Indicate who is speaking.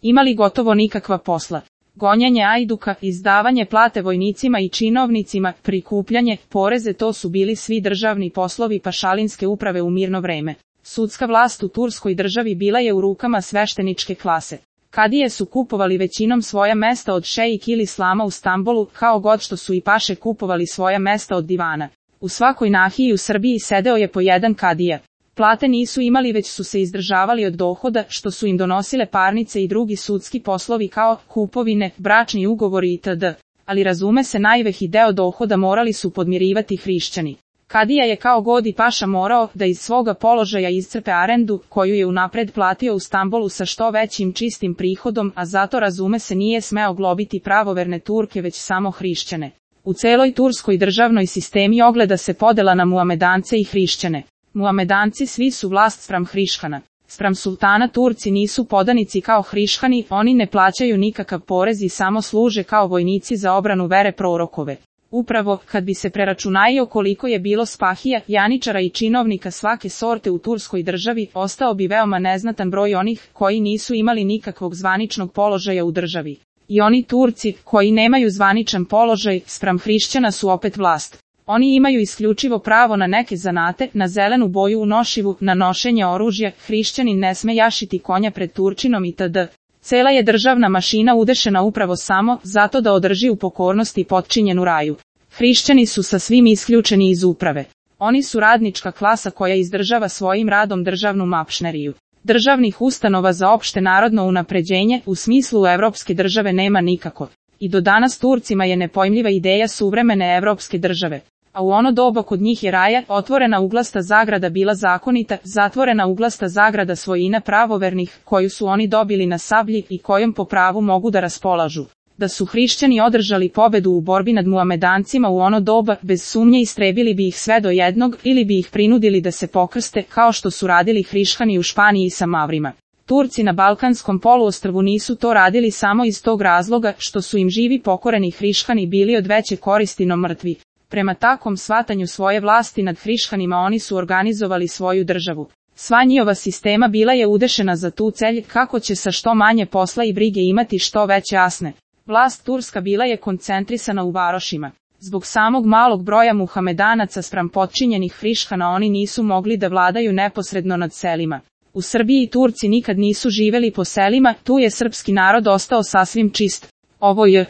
Speaker 1: imali gotovo nikakva posla. Gonjenje ajduka, izdavanje plate vojnicima i činovnicima, prikupljanje, poreze, to su bili svi državni poslovi pašalinske uprave u mirno vreme. Sudska vlast u turskoj državi bila je u rukama svešteničke klase. Kadije su kupovali većinom svoja mesta od šejik ili slama u Stambolu, kao god što su i paše kupovali svoja mesta od divana. U svakoj nahiji u Srbiji sedeo je po jedan kadija. Plate nisu imali, već su se izdržavali od dohoda što su im donosile parnice i drugi sudski poslovi kao kupovine, bračni ugovori itd. Ali razume se, najveći deo dohoda morali su podmirivati hrišćani. Kadija je kao god i paša morao da iz svoga položaja iscrpe arendu koju je unapred platio u Stambolu sa što većim čistim prihodom, a zato razume se nije smeo globiti pravoverne Turke već samo hrišćane. U celoj turskoj državnoj sistemi ogleda se podela na muamedance i hrišćane. Muamedanci svi su vlast spram hrišćana. Spram sultana Turci nisu podanici kao hrišćani, oni ne plaćaju nikakav porez i samo služe kao vojnici za obranu vere prorokove. Upravo, kad bi se preračunajio koliko je bilo spahija, janičara i činovnika svake sorte u turskoj državi, ostao bi veoma neznatan broj onih koji nisu imali nikakvog zvaničnog položaja u državi. I oni Turci, koji nemaju zvaničan položaj, spram hrišćana su opet vlast. Oni imaju isključivo pravo na neke zanate, na zelenu boju u nošivu, na nošenje oružja, hrišćanin ne sme jašiti konja pred Turčinom itd. Cela je državna mašina udešena upravo samo zato da održi u pokornosti potčinjenu raju. Hrišćani su sa svim isključeni iz uprave. Oni su radnička klasa koja izdržava svojim radom državnu mašneriju. Državnih ustanova za opšte narodno unapređenje u smislu evropske države nema nikako. I do danas Turcima je nepojmljiva ideja suvremene evropske države. A u ono doba kod njih je raja, otvorena uglasta zagrada bila zakonita, zatvorena uglasta zagrada svojina pravovernih, koju su oni dobili na sablji i kojom po pravu mogu da raspolažu. Da su hrišćani održali pobedu u borbi nad muamedancima u ono doba, bez sumnje istrebili bi ih sve do jednog ili bi ih prinudili da se pokrste, kao što su radili hrišćani u Španiji sa Mavrima. Turci na Balkanskom poluostrvu nisu to radili samo iz tog razloga što su im živi pokoreni hrišćani bili od veće koristi no mrtvi. Prema takvom shvatanju svoje vlasti nad hrišćanima oni su organizovali svoju državu. Sva njihova sistema bila je udešena za tu celj kako će sa što manje posla i brige imati što veće asne. Vlast turska bila je koncentrisana u varošima. Zbog samog malog broja muhamedanaca spram potčinjenih hrišćana oni nisu mogli da vladaju neposredno nad selima. U Srbiji Turci nikad nisu živeli po selima, tu je srpski narod ostao sasvim čist. Ovo je